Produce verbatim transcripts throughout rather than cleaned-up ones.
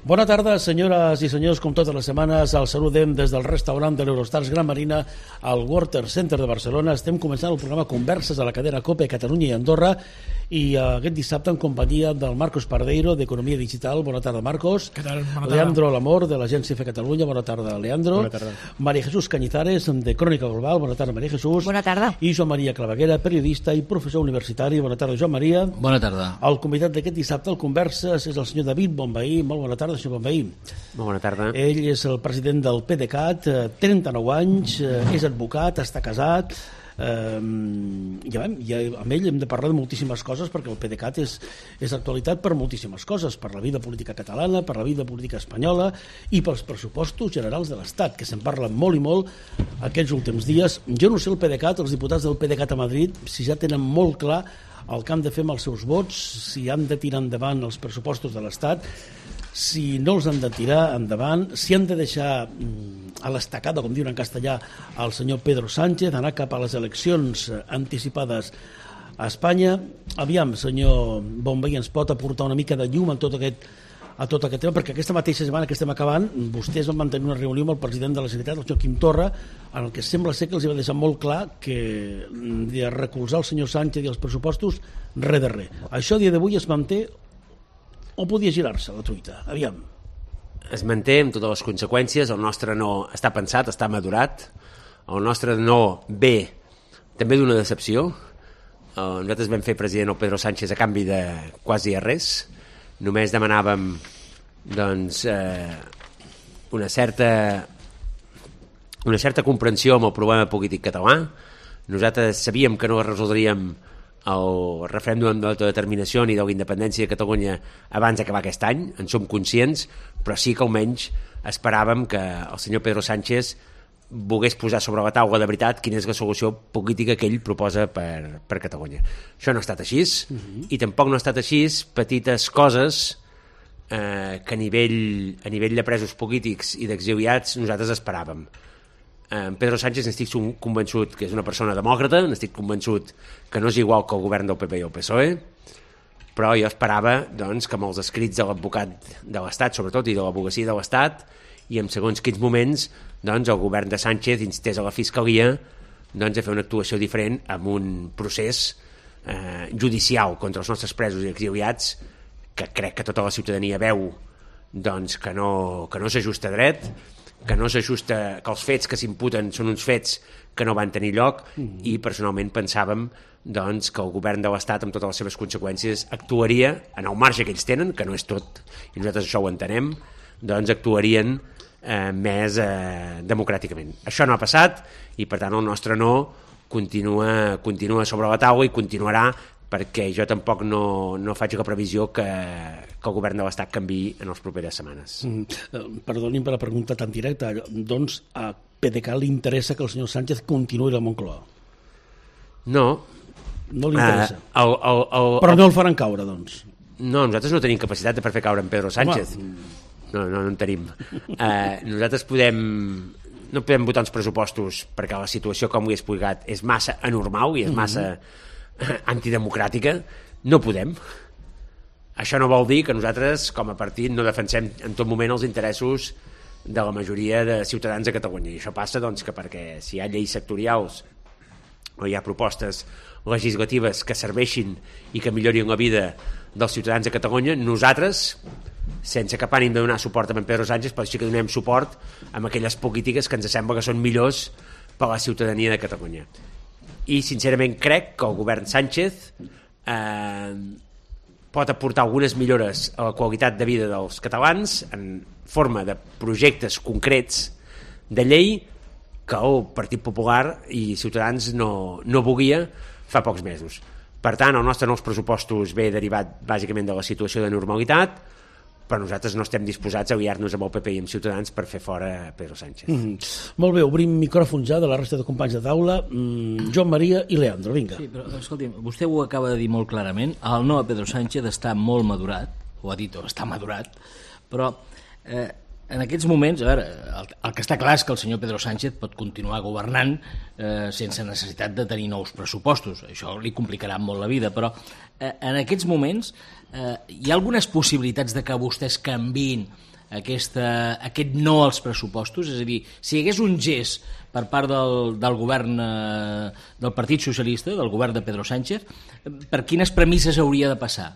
Bona tarda, senyores i senyors, com totes les setmanes, els saludem des del restaurant de l'Eurostars Gran Marina al Water Center de Barcelona. Estem començant el programa Converses a la cadena COPE Catalunya i Andorra i uh, aquest dissabte en companyia del Marcos Pardeiro d'Economia Digital. Bona tarda, Marcos. Què tal? Bona tarda. Leandro Lamor de l'Agència F Catalunya. Bona tarda, Leandro. Bona tarda. María Jesús Cañizares de Crònica Global. Bona tarda, María Jesús. Bona tarda. I Joan Maria Claveguera, periodista i professor universitari. Bona tarda, Joan Maria. Bona tarda. El convidat d'aquest dissabte al Converses és el senyor David Bonvehí. Molt bona tarda, senyor Bonvehí. Molt bona tarda. Ell és el president del PDeCAT, trenta-nou anys, és advocat, està casat, eh, ja vam, ja, amb ell hem de parlar de moltíssimes coses perquè el PDeCAT és, és actualitat per moltíssimes coses, per la vida política catalana, per la vida política espanyola i pels pressupostos generals de l'Estat, que se'n parla molt i molt aquests últims dies. Jo no sé el PDeCAT, els diputats del PDeCAT a Madrid, si ja tenen molt clar el que han de fer amb els seus vots, si han de tirar endavant els pressupostos de l'Estat, si no els han de tirar endavant, si han de deixar a l'estacada, com diuen en castellà, el senyor Pedro Sánchez, anar cap a les eleccions anticipades a Espanya. Aviam, senyor Bonvehí, ens pot aportar una mica de llum a tot aquest, a tot aquest tema, perquè aquesta mateixa setmana que estem acabant, vostès van mantenir una reunió amb el president de la Generalitat, el senyor Quim Torra, en el que sembla ser que els va deixar molt clar que de recolzar el senyor Sánchez i els pressupostos, res de res. Això a dia d'avui es manté o podia girar-se la truita? Aviam. Es manté amb totes les conseqüències. El nostre no està pensat, està madurat. El nostre no ve també d'una decepció. Uh, nosaltres vam fer president el Pedro Sánchez a canvi de quasi a res. Només demanàvem doncs, eh, una certa una certa comprensió amb el problema polític català. Nosaltres sabíem que no resoldríem el referèndum d'autodeterminació ni de la independència de Catalunya abans d'acabar aquest any, en som conscients, però sí que almenys esperàvem que el senyor Pedro Sánchez volgués posar sobre la taula de veritat quina és la solució política que ell proposa per, per Catalunya. Això no ha estat així, uh-huh. I tampoc no ha estat així petites coses eh, que a nivell, a nivell de presos polítics i d'exiliats nosaltres esperàvem. En Pedro Sánchez n'estic convençut que és una persona demòcrata, n'estic convençut que no és igual que el govern del P P i el P S O E, però jo esperava doncs, que amb els escrits de l'advocat de l'Estat, sobretot, i de l'advocacia de l'Estat, i en segons quins moments doncs, el govern de Sánchez instés a la Fiscalia doncs, a fer una actuació diferent amb un procés eh, judicial contra els nostres presos i exiliats que crec que tota la ciutadania veu doncs, que no, que no s'ajusta dret, que no s'ajusta, que els fets que s'imputen són uns fets que no van tenir lloc, mm. i personalment pensàvem doncs, que el govern de l'Estat amb totes les seves conseqüències actuaria en el marge que ells tenen, que no és tot i nosaltres això ho entenem, doncs actuarien eh, més eh, democràticament. Això no ha passat i per tant el nostre no continua, continua sobre la taula i continuarà, perquè jo tampoc no, no faig la previsió que, que el govern de l'Estat canviï en les properes setmanes. Mm, perdonin per la pregunta tan directa, doncs a PDeCAT li interessa que el senyor Sánchez continuï a la Moncloa? No. No li interessa? Uh, el, el, el, Però no el faran caure, doncs? No, nosaltres no tenim capacitat per fer caure en Pedro Sánchez. Home. No, no, no en tenim. Uh, nosaltres podem... No podem votar uns pressupostos perquè la situació, com ho he explicat, és massa anormal i és massa... Mm-hmm. antidemocràtica, no podem. Això no vol dir que nosaltres com a partit no defensem en tot moment els interessos de la majoria de ciutadans de Catalunya, i això passa doncs, que perquè si hi ha lleis sectorials o hi ha propostes legislatives que serveixin i que millorin la vida dels ciutadans de Catalunya, nosaltres sense cap ànim de donar suport a en Pedro Sánchez, però sí que donem suport a aquelles polítiques que ens sembla que són millors per a la ciutadania de Catalunya. I sincerament crec que el govern Sánchez eh, pot aportar algunes millores a la qualitat de vida dels catalans en forma de projectes concrets de llei que el Partit Popular i Ciutadans no, no volia fa pocs mesos. Per tant, el nostre nous pressupostos ve derivat bàsicament de la situació de normalitat, però nosaltres no estem disposats a aliar-nos amb el P P i amb Ciutadans per fer fora Pedro Sánchez. Mm. Molt bé, obrim micròfons ja de la resta de companys de taula. Mm, Joan Maria i Leandro, vinga. Sí, però escolti'm, vostè ho acaba de dir molt clarament, el no a Pedro Sánchez està molt madurat, ho ha dit, està madurat, però eh, En aquests moments, a veure, el, el que està clar és que el senyor Pedro Sánchez pot continuar governant eh, sense necessitat de tenir nous pressupostos. Això li complicarà molt la vida, però eh, en aquests moments eh, hi ha algunes possibilitats de que vostès canviïn aquesta, aquest no als pressupostos? És a dir, si hi hagués un gest per part del, del govern eh, del Partit Socialista, del govern de Pedro Sánchez, per quines premisses hauria de passar?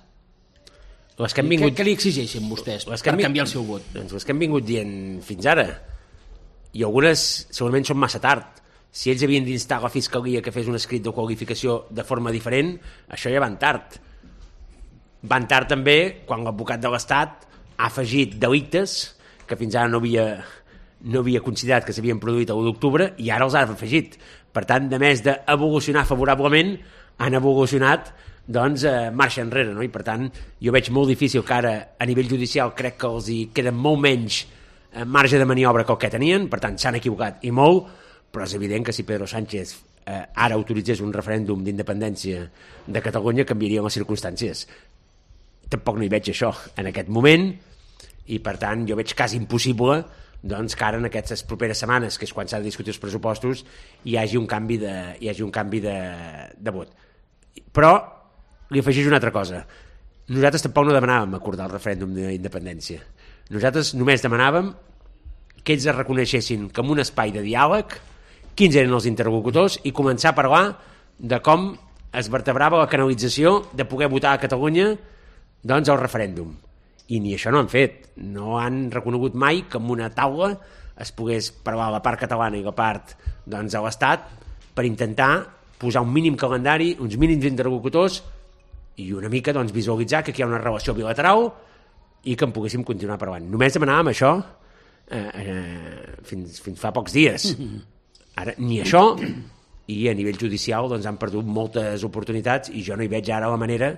Les que han vingut... Què, què li exigeixen vostès per vingut... canviar el seu vot? Doncs les que han vingut dient fins ara. I algunes segurament són massa tard. Si ells havien d'instar la Fiscalia que fes un escrit de qualificació de forma diferent, això ja van tard. Van tard també quan l'advocat de l'Estat ha afegit delictes que fins ara no havia, no havia considerat que s'havien produït a l'u d'octubre i ara els ha afegit. Per tant, de més d'evolucionar favorablement, han evolucionat doncs eh, marxa enrere, no? I per tant jo veig molt difícil que ara a nivell judicial crec que els hi queda molt menys eh, marge de maniobra que el que tenien, per tant s'han equivocat i molt, però és evident que si Pedro Sánchez eh, ara autoritzés un referèndum d'independència de Catalunya canviarien les circumstàncies. Tampoc no hi veig això en aquest moment i per tant jo veig quasi impossible doncs que ara en aquestes properes setmanes, que és quan s'ha de discutir els pressupostos, hi hagi un canvi de, hi hagi un canvi de, de vot. Però li afegeix una altra cosa. Nosaltres tampoc no demanàvem acordar el referèndum d'independència. Nosaltres només demanàvem que ells es reconeixessin com un espai de diàleg, quins eren els interlocutors, i començar a parlar de com es vertebrava la canalització de poder votar a Catalunya doncs el referèndum. I ni això no han fet. No han reconegut mai que en una taula es pogués parlar la part catalana i la part doncs, de l'Estat per intentar posar un mínim calendari, uns mínims interlocutors i una mica doncs, visualitzar que aquí hi ha una relació bilateral i que en poguéssim continuar parlant. Només demanàvem això eh, eh, fins, fins fa pocs dies. Ara, ni això, i a nivell judicial doncs, han perdut moltes oportunitats i jo no hi veig ara la manera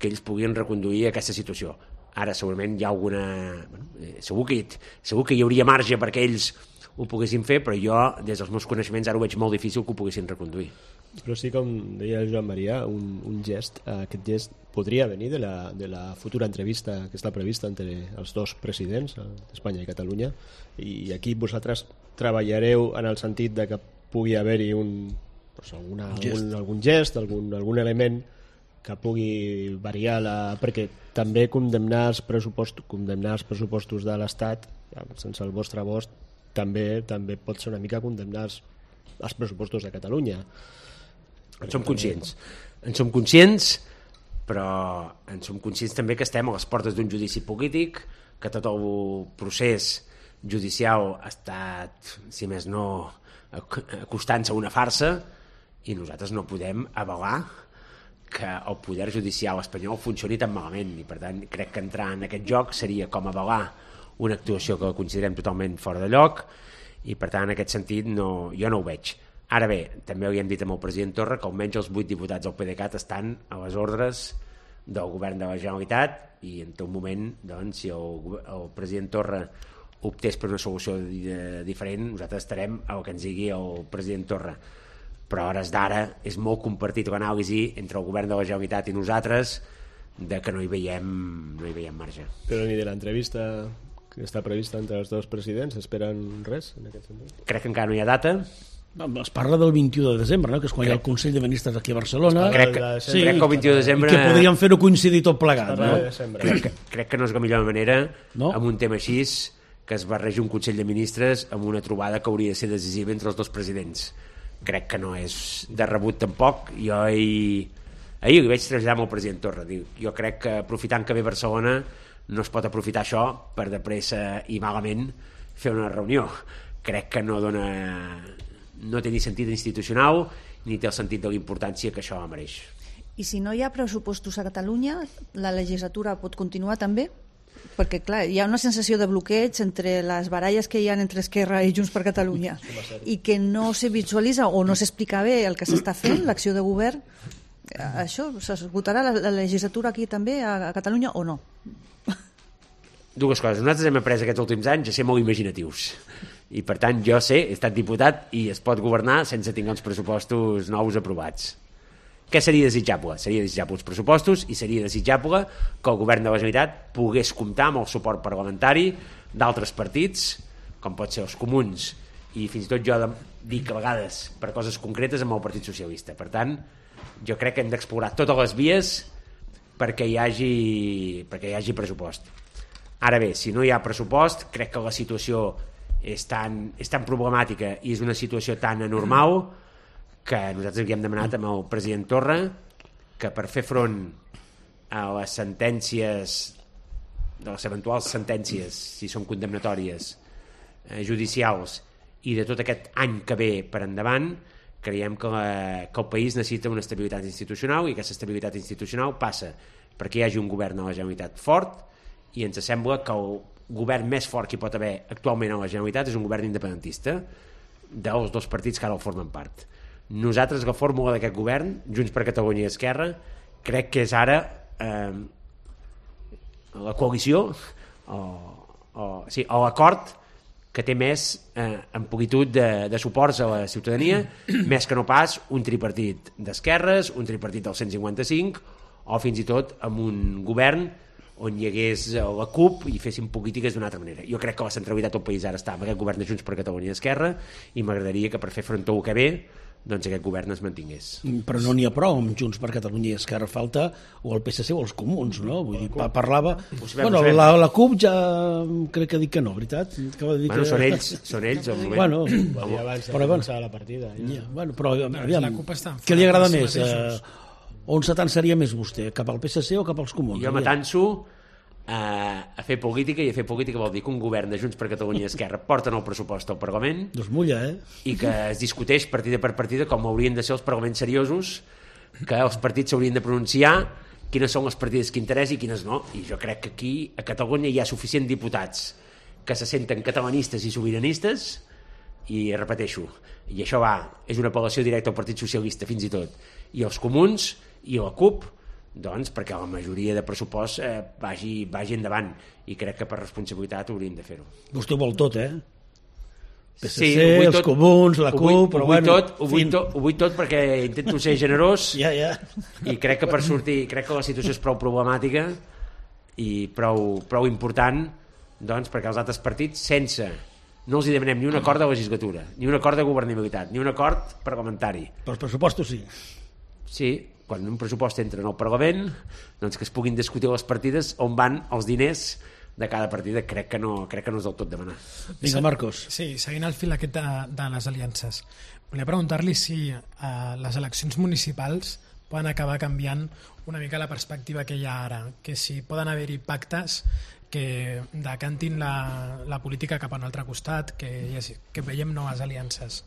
que ells puguin reconduir aquesta situació. Ara segurament hi ha alguna... Bueno, eh, segur, que, segur que hi hauria marge perquè ells ho poguessin fer, però jo, des dels meus coneixements, ara ho veig molt difícil que ho poguessin reconduir. Però sí, com deia el Joan Maria, un, un gest, aquest gest podria venir de la, de la futura entrevista que està prevista entre els dos presidents d'Espanya i Catalunya, i aquí vosaltres treballareu en el sentit de que pugui haver-hi un, doncs alguna, un gest. Algun, algun gest, algun, algun element que pugui variar la... perquè també condemnar els pressupostos, condemnar els pressupostos de l'Estat sense el vostre vot també també pot ser una mica condemnar els, els pressupostos de Catalunya. En som conscients. En som conscients, però en som conscients també que estem a les portes d'un judici polític, que tot el procés judicial ha estat, si més no, acostant-se a una farsa, i nosaltres no podem avalar que el poder judicial espanyol funcioni tan malament, i per tant crec que entrar en aquest joc seria com avalar una actuació que considerem totalment fora de lloc, i per tant en aquest sentit no, jo no ho veig. Ara bé, també ho hem dit amb el president Torra que almenys els vuit diputats del PDeCAT estan a les ordres del govern de la Generalitat, i en tot moment doncs, si el, el president Torra optés per una solució diferent, nosaltres estarem al que ens digui el president Torra. Però a hores d'ara és molt compartit l'anàlisi entre el govern de la Generalitat i nosaltres de que no hi veiem, no hi veiem marge. Però ni de l'entrevista que està prevista entre els dos presidents esperen res en aquest sentit? Crec que encara no hi ha data. Es parla del vint-i-u de desembre, no? Que és quan crec. Hi ha el Consell de Ministres aquí a Barcelona. Crec que, sí, crec que el vint-i-u de desembre... I que podríem fer-ho coincidir tot plegat, no? Crec que, crec que no és la millor manera, no? Amb un tema així, que es barregi un Consell de Ministres amb una trobada que hauria de ser decisiva entre els dos presidents. Crec que no és de rebut tampoc. Jo ahir, ahir li vaig traslladar amb el president Torra. Jo crec que aprofitant que ve Barcelona no es pot aprofitar això per de pressa i malament fer una reunió. Crec que no dona, no té ni sentit institucional ni té el sentit de la importància que això mereix. I si no hi ha pressupostos a Catalunya, la legislatura pot continuar també? Perquè, clar, hi ha una sensació de bloqueig entre les baralles que hi ha entre Esquerra i Junts per Catalunya i que no se visualitza o no s'explica bé el que s'està fent, l'acció de govern. Això, s'esgotarà la, la legislatura aquí també a, a Catalunya o no? Dues coses. Nosaltres hem après aquests últims anys a ser molt imaginatius. I, per tant, jo sé, he estat diputat i es pot governar sense tenir els pressupostos nous aprovats. Què seria desitjable? Seria desitjable uns pressupostos i seria desitjable que el govern de la Generalitat pogués comptar amb el suport parlamentari d'altres partits, com pot ser els comuns, i fins i tot jo dic a vegades per coses concretes amb el Partit Socialista. Per tant, jo crec que hem d'explorar totes les vies perquè hi hagi, perquè hi hagi pressupost. Ara bé, si no hi ha pressupost, crec que la situació és tan, és tan problemàtica i és una situació tan anormal que nosaltres havíem demanat amb el president Torra que per fer front a les sentències, de les eventuals sentències, si són condemnatòries, eh, judicials, i de tot aquest any que ve per endavant, creiem que, la, que el país necessita una estabilitat institucional i aquesta estabilitat institucional passa perquè hi hagi un govern a la Generalitat fort i ens sembla que el govern més fort que hi pot haver actualment a la Generalitat és un govern independentista dels dos partits que ara el formen part. Nosaltres la fórmula d'aquest govern, Junts per Catalunya i Esquerra, crec que és ara eh, la coalició o, o, sí, o l'acord que té més eh, amplitud de, de suports a la ciutadania, més que no pas un tripartit d'esquerres, un tripartit del cent cinquanta cinc o fins i tot amb un govern on hi hagués la CUP i fessin polítiques d'una altra manera. Jo crec que la centralitat del país ara està amb aquest govern de Junts per Catalunya i Esquerra i m'agradaria que per fer front a el que ve doncs aquest govern es mantingués. Però no n'hi ha prou amb Junts per Catalunya i Esquerra, falta o el P S C o els comuns, no? Vull dir, parlava... Bueno, la, la CUP ja crec que ha dit que no, veritat? Que va dir bueno, que... són ells, són ells al moment. Bueno, ja abans de però, començar la partida. Ja. Ja, bueno, però No, aviam, la CUP està què li agrada enfadada més? amb si mateixos. Eh, on s'atansaria més vostè? Cap al P S C o cap als comuns? Jo m'atanso a, a fer política, i a fer política vol dir que un govern de Junts per Catalunya i Esquerra porten el pressupost al Parlament Doncs mulla, eh? i que es discuteix partida per partida com haurien de ser els parlaments seriosos, que els partits s'haurien de pronunciar quines són les partides que interessa i quines no. I jo crec que aquí a Catalunya hi ha suficient diputats que se senten catalanistes i sobiranistes i repeteixo, i això va, és una apel·lació directa al Partit Socialista fins i tot, i els comuns i la CUP, doncs perquè la majoria de pressupost eh, vagi, vagi endavant, i crec que per responsabilitat haurien de fer-ho. Vostè ho vol tot, eh? P S C, Sí, ho vull els tot, comuns, la ho vull, CUP, però ho vull bueno... tot, ho vull, tot, ho vull tot perquè intento ser generós Ja, ja. i crec que per sortir, crec que la situació és prou problemàtica i prou, prou important, doncs perquè els altres partits, sense, no els hi demanem ni un acord de legislatura, ni un acord de governabilitat, ni un acord parlamentari. Però els pressupostos sí. Sí, quan un pressupost entra en el Parlament, doncs que es puguin discutir les partides on van els diners de cada partida, crec que no, crec que no és del tot demanar. Vinga, Marcos. Sí, seguint el fil aquest de, de les aliances, volia preguntar-li si eh, les eleccions municipals poden acabar canviant una mica la perspectiva que hi ha ara, que si poden haver-hi pactes que decantin la, la política cap a un altre costat, que, que veiem noves aliances.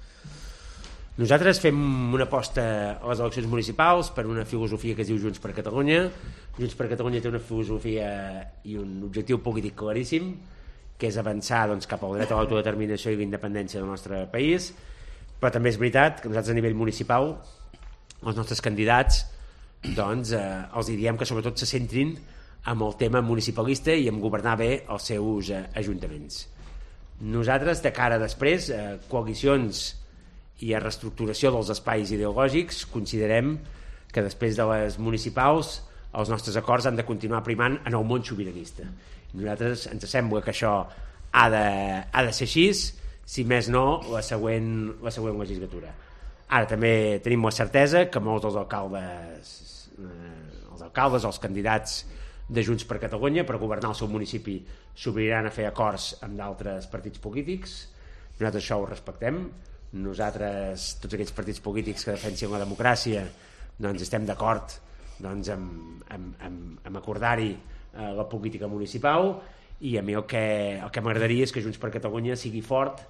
Nosaltres fem una aposta a les eleccions municipals per una filosofia que es diu Junts per Catalunya. Junts per Catalunya té una filosofia i un objectiu polític claríssim, que és avançar doncs, cap al dret a l'autodeterminació i l'independència del nostre país, però també és veritat que nosaltres a nivell municipal els nostres candidats doncs, eh, els diem que sobretot se centrin amb el tema municipalista i en governar bé els seus eh, ajuntaments. Nosaltres, de cara després, eh, coalicions i a reestructuració dels espais ideològics, considerem que després de les municipals els nostres acords han de continuar primant en el món sobiranista. Nosaltres ens sembla que això ha de, ha de ser així, si més no, la següent, la següent legislatura. Ara també tenim la certesa que molts dels alcaldes, eh, els alcaldes, els candidats de Junts per Catalunya per governar el seu municipi s'obriran a fer acords amb d'altres partits polítics. Nosaltres això ho respectem. Nosaltres, tots aquells partits polítics que defensin la democràcia, doncs estem d'acord doncs, amb, amb, amb, amb acordar-hi eh, la política municipal, i a mi el que, el que m'agradaria és que Junts per Catalunya sigui fort,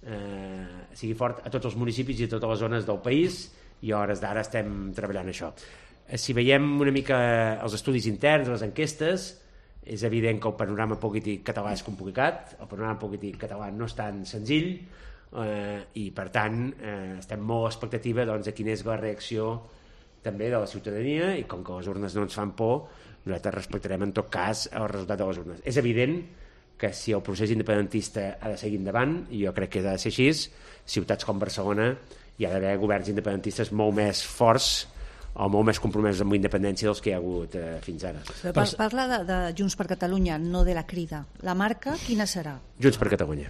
eh, sigui fort a tots els municipis i a totes les zones del país, i a hores d'ara estem treballant això. Eh, si veiem una mica els estudis interns, les enquestes, és evident que el panorama polític català és complicat, el panorama polític català no és tan senzill, eh, i per tant eh, estem molt a expectativa doncs, de quina és la reacció també de la ciutadania, i com que les urnes no ens fan por, nosaltres respectarem en tot cas el resultat de les urnes. És evident que si el procés independentista ha de seguir endavant, i jo crec que ha de ser així, ciutats com Barcelona hi ha d'haver governs independentistes molt més forts o molt més compromesos amb la independència dels que hi ha hagut eh, fins ara. Par Parla de, de Junts per Catalunya, no de la Crida. La marca, quina serà? Junts per Catalunya.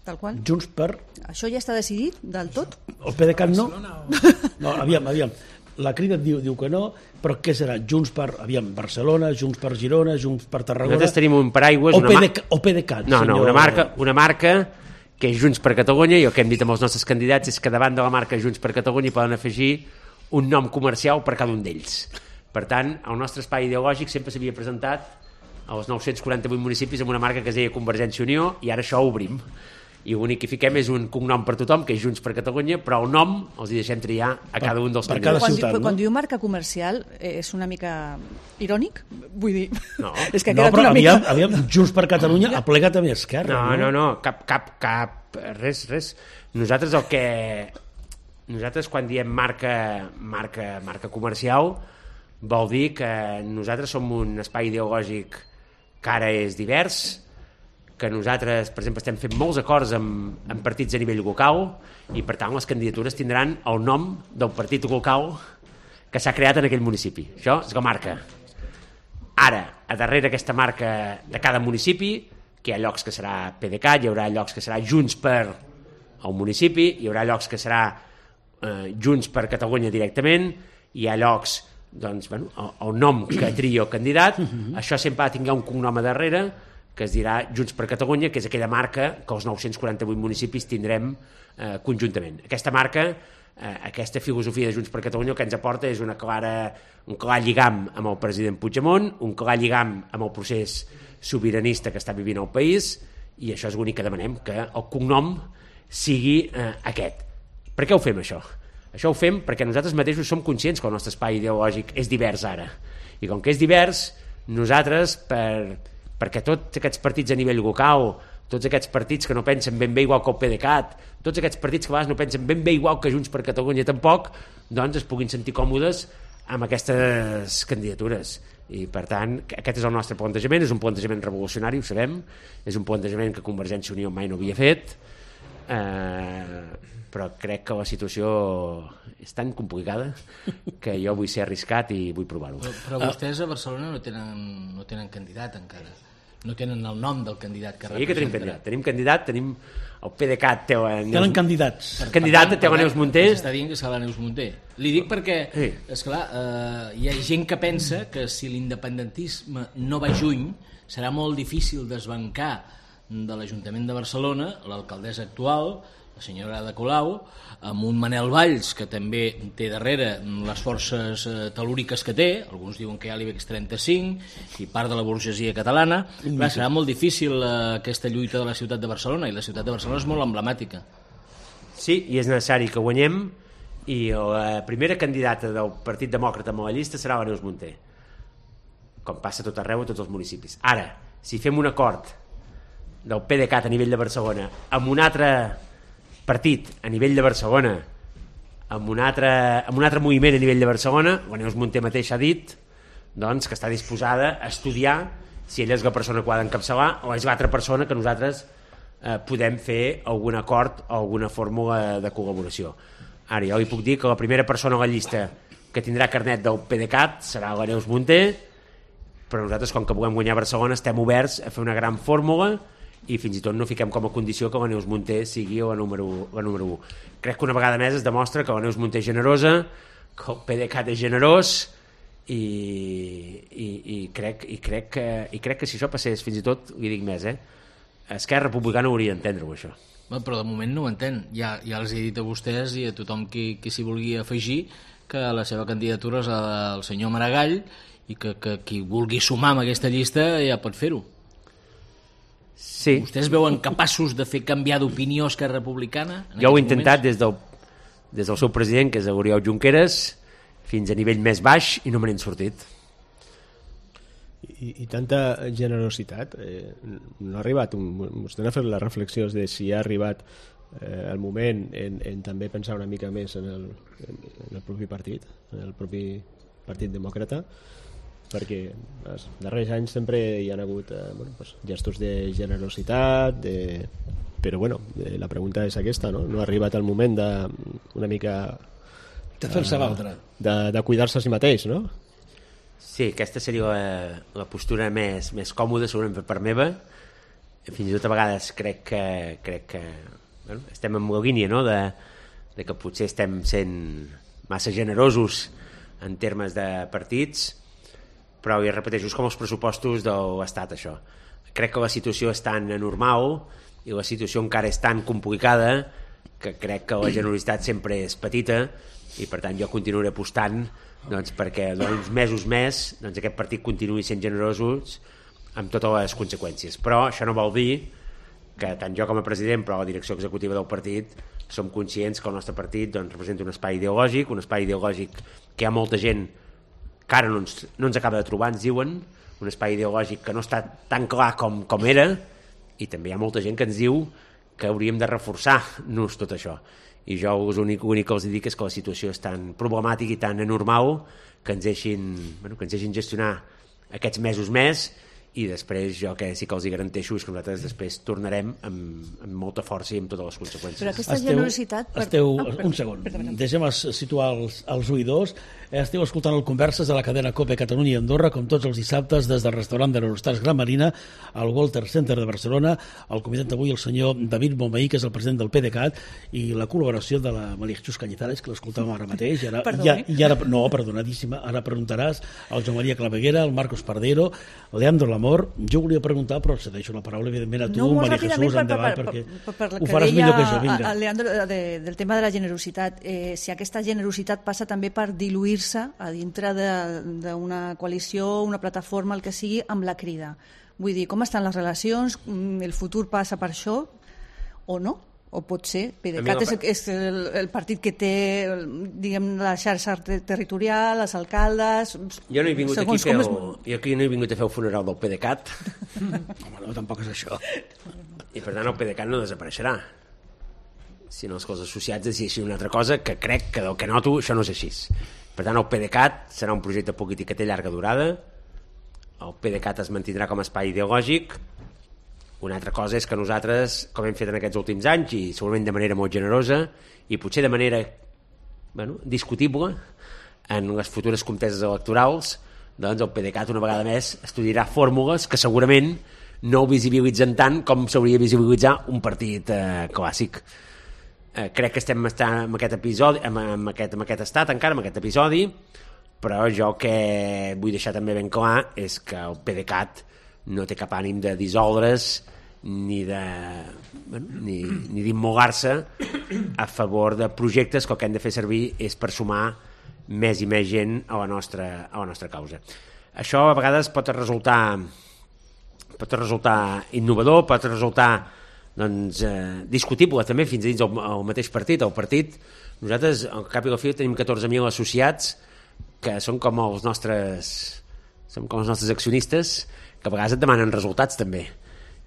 Tal qual? Junts per... Això ja està decidit del tot? El PDeCAT no? No, aviam, aviam. La Crida diu, diu que no, però què serà? Junts per, aviam, Barcelona, Junts per Girona, Junts per Tarragona... Nosaltres tenim un paraigües... O, una PDeCAT, o PDeCAT, no, senyor... no, una marca, una marca que és Junts per Catalunya, i el que hem dit amb els nostres candidats és que davant de la marca Junts per Catalunya hi poden afegir un nom comercial per cada un d'ells. Per tant, el nostre espai ideològic sempre s'havia presentat als nou-cents quaranta-vuit municipis amb una marca que es deia Convergència i Unió, i ara això ho obrim. I l'únic que fiquem és un cognom per tothom, que és Junts per Catalunya, però el nom els hi deixem triar a cada un dels per cada candidats. ciutat, quan, no? quan diu marca comercial, eh, és una mica irònic? Vull dir, No. és que ha No, quedat però una aviam, mica... aviam, Junts per Catalunya ha plegat també a Esquerra. No, no, no, cap, cap, cap, res, res. Nosaltres el que... Nosaltres quan diem marca, marca, marca comercial vol dir que nosaltres som un espai ideològic que ara és divers, que nosaltres, per exemple, estem fent molts acords amb, amb partits a nivell local, i per tant les candidatures tindran el nom del partit local que s'ha creat en aquell municipi. Això és la marca. Ara, a darrere aquesta marca de cada municipi, que hi ha llocs que serà PDeCAT, hi haurà llocs que serà Junts per el municipi, hi haurà llocs que serà eh, Junts per Catalunya directament, hi ha llocs, doncs, bueno, el, el nom que tria el candidat, uh-huh. Això sempre ha de tenir un cognom a darrere, que es dirà Junts per Catalunya, que és aquella marca que els nou-cents quaranta-vuit municipis tindrem eh, conjuntament. Aquesta marca, eh, aquesta filosofia de Junts per Catalunya, el que ens aporta és una clara, un clar lligam amb el president Puigdemont, un clar lligam amb el procés sobiranista que està vivint el país, i això és l'únic que demanem, que el cognom sigui eh, aquest. Per què ho fem, això? Això ho fem perquè nosaltres mateixos som conscients que el nostre espai ideològic és divers ara. I com que és divers, nosaltres, per, perquè tots aquests partits a nivell local, tots aquests partits que no pensen ben bé igual que el PDeCAT, tots aquests partits que a vegades no pensen ben bé igual que Junts per Catalunya tampoc, doncs es puguin sentir còmodes amb aquestes candidatures. I per tant, aquest és el nostre plantejament, és un plantejament revolucionari, ho sabem, és un plantejament que Convergència i Unió mai no havia fet, eh, però crec que la situació és tan complicada que jo vull ser arriscat i vull provar-ho. Però, però vostès a Barcelona no tenen, no tenen candidat encara, no tenen el nom del candidat que sí que tenim candidat, tenim candidat, tenim el PDeCAT té la Neus... Tenen candidats. Per candidat té la Neus Munté. S'està dient que serà la Neus Munté. Li dic perquè, sí. esclar, eh, hi ha gent que pensa que si l'independentisme no va juny, serà molt difícil desbancar de l'Ajuntament de Barcelona l'alcaldessa actual, la senyora Ada Colau, amb un Manel Valls que també té darrere les forces eh, telúriques que té, alguns diuen que hi ha l'IBEX trenta-cinc i part de la burgesia catalana. Clar, serà molt difícil eh, aquesta lluita de la ciutat de Barcelona, i la ciutat de Barcelona és molt emblemàtica. Sí, i és necessari que guanyem, i la primera candidata del Partit Demòcrata amb la llista serà la Neus Munté, com passa tot arreu a tots els municipis. Ara, si fem un acord del PDeCAT a nivell de Barcelona amb un altre partit a nivell de Barcelona, amb un altre, amb un altre moviment a nivell de Barcelona, la Neus Munté mateix ha dit doncs, que està disposada a estudiar si ella és la persona que ho ha d'encapçalar o és l'altra persona que nosaltres eh, podem fer algun acord o alguna fórmula de col·laboració. Ara, jo li puc dir que la primera persona a la llista que tindrà carnet del PDeCAT serà la Neus Munté, però nosaltres, com que volem guanyar Barcelona, estem oberts a fer una gran fórmula i fins i tot no fiquem com a condició que la Neus Munté sigui la número, la número u. Crec que una vegada més es demostra que la Neus Munté és generosa, que el PDeCAT és generós, i, i, i, crec, i, crec que, i crec que si això passés, fins i tot, li dic més, eh? Esquerra Republicana hauria d'entendre-ho, això. Bé, però de moment no ho entén. Ja, ja els he dit a vostès i a tothom qui, qui s'hi vulgui afegir que la seva candidatura és el senyor Maragall i que, que qui vulgui sumar amb aquesta llista ja pot fer-ho. Sí. Vostès veuen capaços de fer canviar d'opinió Esquerra Republicana? Jo ho he intentat des del, des del seu president, que és l'Oriol Junqueras, fins a nivell més baix i no me n'he sortit. I, i tanta generositat, eh, no ha arribat, un, vostè ha fet les reflexions de si ha arribat eh, el moment en, en també pensar una mica més en el, en, en el propi partit, en el propi Partit Demòcrata, perquè els darrers anys sempre hi ha hagut eh, bueno, pues, gestos de generositat, de... però bueno, eh, la pregunta és aquesta, no? No ha arribat el moment de una mica De fer-se valdre. De, de cuidar-se a si mateix, no? Sí, aquesta seria la, la postura més, més còmoda, segurament per part meva. Fins i tot a vegades crec que, crec que bueno, estem en la línia, no?, de, de que potser estem sent massa generosos en termes de partits, però ja repeteixo, és com els pressupostos de l'Estat, això. Crec que la situació és tan anormal i la situació encara és tan complicada que crec que la generositat sempre és petita i per tant jo continuaré apostant doncs, perquè uns mesos més doncs, aquest partit continuï sent generosos amb totes les conseqüències. Però això no vol dir que tant jo com a president però la direcció executiva del partit som conscients que el nostre partit doncs, representa un espai ideològic, un espai ideològic que hi ha molta gent que ara no ens, no ens acaba de trobar, ens diuen, un espai ideològic que no està tan clar com, com era, i també hi ha molta gent que ens diu que hauríem de reforçar-nos tot això. I jo l'únic, l'únic que els dic és que la situació és tan problemàtica i tan anormal que ens deixin, bueno, que ens deixin gestionar aquests mesos més, i després jo que sí que els hi garanteixo és que nosaltres després tornarem amb, amb molta força i amb totes les conseqüències. Però aquesta Esteu, generositat... Per... esteu, Oh, perdó, un segon, perdó, perdó. deixem situar els, els oïdors. Esteu escoltant el Converses de la cadena COPE Catalunya i Andorra, com tots els dissabtes, des del restaurant de l'Eurostars Gran Marina, al Walter Center de Barcelona. El convidat d'avui el senyor David Bonvehí, que és el president del PDeCAT, i la col·laboració de la Maria Jesús Cañizares, que l'escoltàvem ara mateix. I ara, ja, i ara, no, perdonadíssima, ara preguntaràs al Joan Maria Claveguera, al Marcos Pardero, Leandro Lamor. Jo volia preguntar, però cedeixo la paraula, evidentment, a tu, no, Maria Jesús, per, endavant, per, perquè per, per, per ho faràs millor que jo. Vinga. A, a Leandro, de, del tema de la generositat, eh, si aquesta generositat passa també per diluir-se a dintre d'una coalició, una plataforma, el que sigui, amb la Crida. Vull dir, com estan les relacions? El futur passa per això o no? O pot ser? PDeCAT és, és el, el partit que té, diguem, la xarxa ter territorial, els alcaldes... Jo no he vingut aquí, fer el, jo aquí no he vingut a fer el funeral del PDeCAT. Home, no, tampoc és això. I per tant el PDeCAT no desapareixerà. Sinó els cos associats decideixin una altra cosa, que crec que del que noto això no és així. Per tant el PDeCAT serà un projecte polític que té llarga durada, el PDeCAT es mantindrà com a espai ideològic. Una altra cosa és que nosaltres, com hem fet en aquests últims anys, i segurament de manera molt generosa, i potser de manera bueno, discutible, en les futures conteses electorals, doncs el PDeCAT una vegada més estudiarà fórmules que segurament no ho visibilitzen tant com s'hauria de visibilitzar un partit eh, clàssic. Eh, crec que estem estant en aquest episodi, en, en, aquest, en aquest estat encara, en aquest episodi, però jo que vull deixar també ben clar és que el PDeCAT no té cap ànim de dissoldre's ni de bueno, ni, ni d'immolar-se a favor de projectes que el que hem de fer servir és per sumar més i més gent a la nostra, a la nostra causa. Això a vegades pot resultar pot resultar innovador, pot resultar doncs, eh, discutible també fins dins el, el mateix partit. El partit, nosaltres al cap i a la fi tenim catorze mil associats que són com els nostres són com els nostres accionistes, que a vegades et demanen resultats també,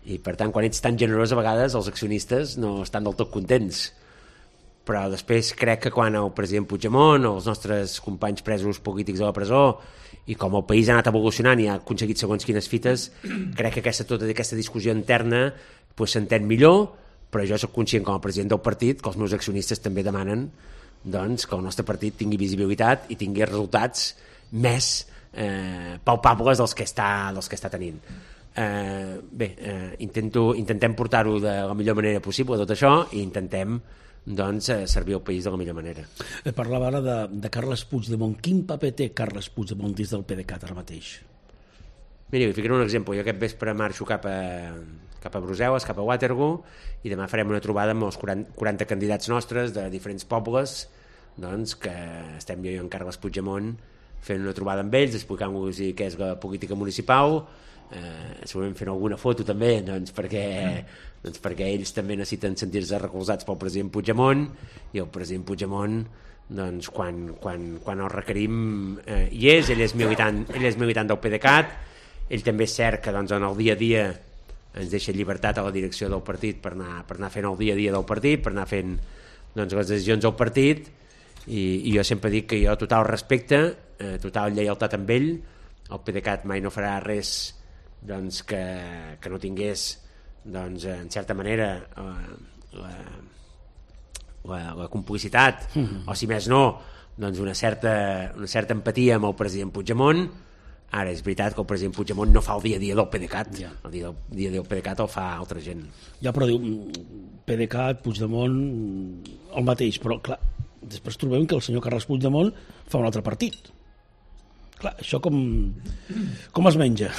i per tant quan ets tan generós a vegades els accionistes no estan del tot contents. Però després crec que quan el president Puigdemont o els nostres companys presos polítics a la presó i com el país ha anat evolucionant i ha aconseguit segons quines fites, crec que aquesta, tota aquesta discussió interna pues, s'entén millor, però jo soc conscient com a president del partit que els meus accionistes també demanen doncs, que el nostre partit tingui visibilitat i tingui resultats més eh, palpables dels que està, dels que està tenint. Eh, bé, eh, intento, intentem portar-ho de la millor manera possible tot això i intentem doncs, eh, servir el país de la millor manera. Parlava ara de, de Carles Puigdemont. Quin paper té Carles Puigdemont dins del PDeCAT ara mateix? Mira, vi ficaré un exemple. Jo aquest vespre marxo cap a, cap a Brussel·les, cap a Waterloo, i demà farem una trobada amb els quaranta candidats nostres de diferents pobles, doncs, que estem jo i en Carles Puigdemont fent una trobada amb ells, explicant-los què és la política municipal, eh, segurament fent alguna foto també, doncs, perquè, doncs, perquè ells també necessiten sentir-se recolzats pel president Puigdemont, i el president Puigdemont doncs, quan, quan, quan el requerim eh, hi és, ell és militant, ell és militant del PDeCAT, ell també és cert que doncs, en el dia a dia ens deixa llibertat a la direcció del partit per anar, per anar fent el dia a dia del partit, per anar fent doncs, les decisions del partit, i, i jo sempre dic que jo total respecte, eh, total lleialtat amb ell. El PDeCAT mai no farà res doncs, que, que no tingués doncs, en certa manera eh, la, la, la complicitat, mm-hmm. o si més no doncs una certa, una certa empatia amb el president Puigdemont. Ara és veritat que el president Puigdemont no fa el dia a dia del PDeCAT, ja. el dia, el dia del PDeCAT el fa altra gent. Ja, però diu PDeCAT, Puigdemont, el mateix, però clar, després trobem que el senyor Carles Puigdemont fa un altre partit. Clar, això com, com es menja?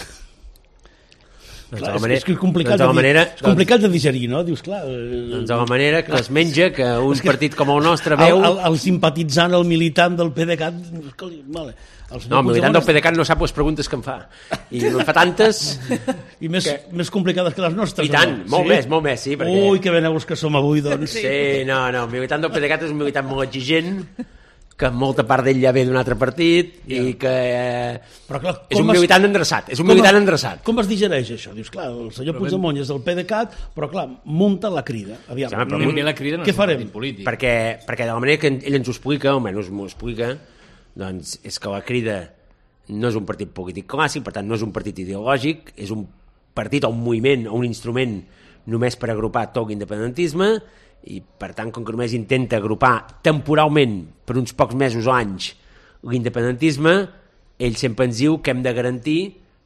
Doncs clar, de la manera, és, és complicat, doncs de, la manera, de, és complicat doncs, de digerir, no? Dius, clar... Doncs de la manera que es menja, que un que partit com el nostre veu... veu... El, el, el simpatitzant, el militant del PDeCAT... Vale, el no, el militant del PDeCAT no sap les preguntes que em fa. I en fa tantes... I més, que... més complicades que les nostres. I tant, no? molt sí? més, molt més, sí. Perquè... Ui, que ben que som avui, doncs. Sí, no, no, el militant del PDeCAT és un militant molt exigent, que molta part d'ell ja ve d'un altre partit ja. i que eh, però clar, és un militant es... endreçat, és un militant endreçat. Com es digereix això? Dius, clar, el senyor Puigdemont és del PDeCAT, però clar, munta la crida. Aviam, sí, però ben bé la crida no què és farem? un partit polític. Perquè, perquè de la manera que ell ens ho explica, almenys m'ho explica, doncs és que la crida no és un partit polític clàssic, per tant no és un partit ideològic, és un partit o un moviment o un instrument només per agrupar tot l'independentisme, i per tant com que només intenta agrupar temporalment per uns pocs mesos o anys l'independentisme, ell sempre ens diu que hem de garantir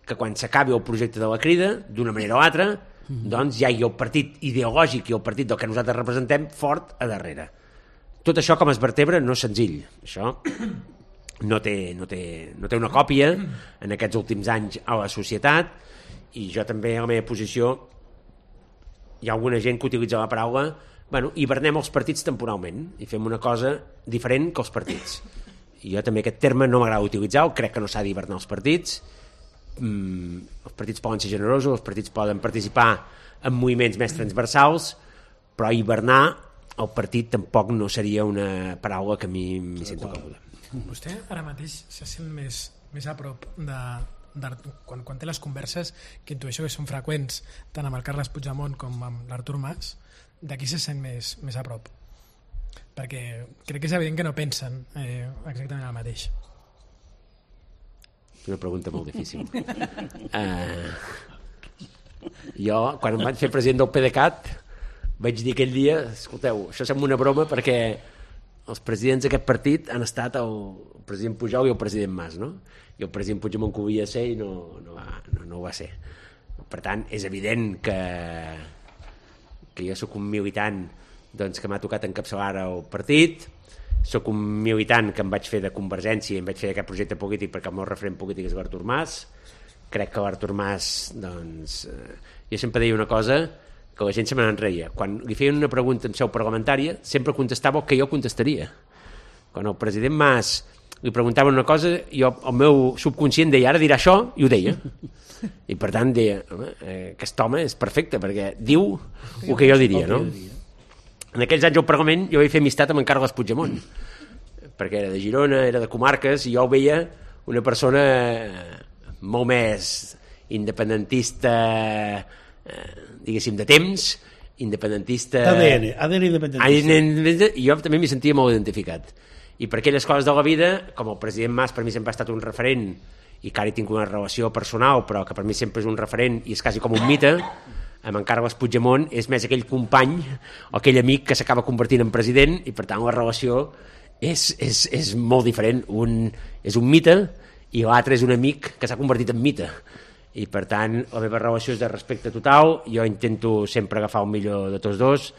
que quan s'acabi el projecte de la crida d'una manera o altra, doncs ja hi ha el partit ideològic i el partit del que nosaltres representem fort a darrere. Tot això com es vertebra no és senzill, això no té, no té, no té una còpia en aquests últims anys a la societat, i jo també a la meva posició hi ha alguna gent que utilitza la paraula bueno, hibernem els partits temporalment i fem una cosa diferent que els partits. I jo també aquest terme no m'agrada utilitzar, crec que no s'ha d'hibernar els partits. Mm, els partits poden ser generosos, els partits poden participar en moviments més transversals, però hibernar el partit tampoc no seria una paraula que a mi m'hi sento còmode. Vostè ara mateix se sent més, més a prop de, de quan, quan té les converses, que intueixo que són freqüents tant amb el Carles Puigdemont com amb l'Artur Mas, d'aquí se sent més, més a prop, perquè crec que és evident que no pensen eh, exactament el mateix. És una pregunta molt difícil. uh, jo quan em vaig fer president del PDeCAT vaig dir aquell dia, escolteu, això sembla una broma perquè els presidents d'aquest partit han estat el president Pujol i el president Mas, no? I el president Puigdemont que ho havia de ser i no, no, va, no, no ho va ser. Per tant, és evident que que jo sóc un militant doncs, que m'ha tocat encapçalar el partit, sóc un militant que em vaig fer de Convergència i em vaig fer d'aquest projecte polític perquè el meu referent polític és l'Artur Mas. Crec que l'Artur Mas, doncs, eh, jo sempre deia una cosa que la gent se me n'enreia. Quan li feien una pregunta en seu parlamentària, sempre contestava el que jo contestaria. Quan el president Mas li preguntaven una cosa, jo, el meu subconscient deia, ara dirà això, i ho deia. I per tant deia, home, eh, aquest home és perfecte perquè diu el que jo diria, no? En aquells anys al Parlament jo vaig fer amistat amb en Carles Puigdemont, perquè era de Girona, era de comarques, i jo ho veia una persona molt més independentista, eh, diguéssim, de temps, independentista... A D N, A D N independentista. I jo també m'hi sentia molt identificat. I per aquelles coses de la vida, com el president Mas per mi sempre ha estat un referent, i que ara hi tinc una relació personal, però que per mi sempre és un referent i és quasi com un mite, amb en Carles Puigdemont és més aquell company o aquell amic que s'acaba convertint en president, i per tant la relació és, és, és molt diferent. Un és un mite i l'altre és un amic que s'ha convertit en mite, i per tant la meva relació és de respecte total. Jo intento sempre agafar el millor de tots dos.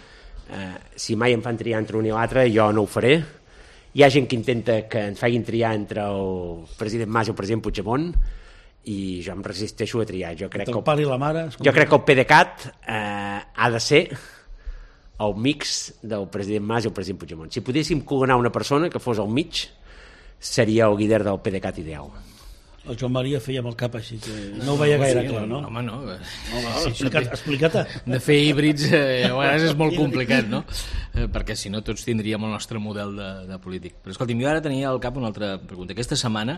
Eh, si mai em fan triar entre un i l'altre, jo no ho faré. Hi ha gent que intenta que ens facin triar entre el president Mas i el president Puigdemont, i jo em resisteixo a triar. Jo crec, que el, pare i la mare, jo crec que el PDeCAT eh, ha de ser el mix del president Mas i el president Puigdemont. Si podéssim coronar una persona que fos al mig, seria el líder del PDeCAT ideal. El Joan Maria feia amb el cap així, que no ho veia gaire clar, no? Home, no. no, no explica't, explica't. De fer híbrids eh, a vegades és molt complicat, no? Eh, perquè si no tots tindríem el nostre model de, de polític. Però escolti'm, jo ara tenia al cap una altra pregunta. Aquesta setmana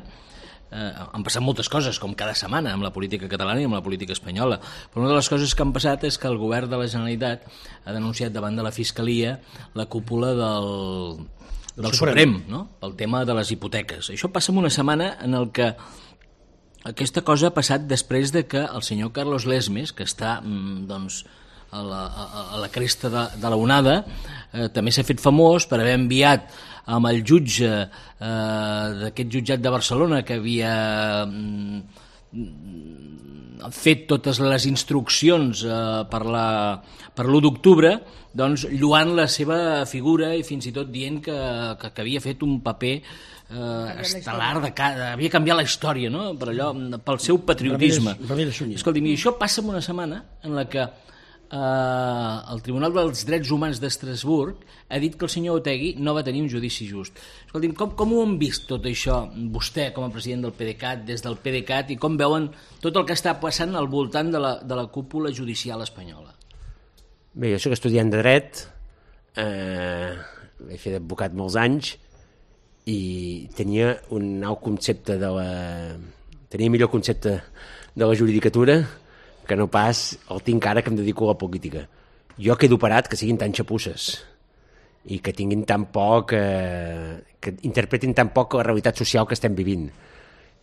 eh, han passat moltes coses, com cada setmana, amb la política catalana i amb la política espanyola. Però una de les coses que han passat és que el govern de la Generalitat ha denunciat davant de la Fiscalia la cúpula del, del Suprem, no? El tema de les hipoteques. Això passa en una setmana en el que aquesta cosa ha passat després de que el senyor Carlos Lesmes, que està doncs, a la, a, a la cresta de, de la onada, eh, també s'ha fet famós per haver enviat amb el jutge eh, d'aquest jutjat de Barcelona que havia mm, fet totes les instruccions eh, per la, per l'u d'octubre, doncs lluant la seva figura i fins i tot dient que, que, que havia fet un paper eh, estel·lar, de, de, havia canviat la història, no? Per allò, pel seu patriotisme. Escolti, i això passa en una setmana en la que eh, el Tribunal dels Drets Humans d'Estrasburg ha dit que el senyor Otegi no va tenir un judici just. Escolti, com, com ho han vist tot això, vostè com a president del PDeCAT, des del PDeCAT, i com veuen tot el que està passant al voltant de la, de la cúpula judicial espanyola? Bé, jo soc estudiant de dret, eh, he fet advocat molts anys i tenia un nou concepte de la... tenia millor concepte de la juridicatura que no pas el tinc ara que em dedico a la política. Jo quedo parat que siguin tan xapusses i que tinguin tan poc... Eh, que interpretin tan poc la realitat social que estem vivint.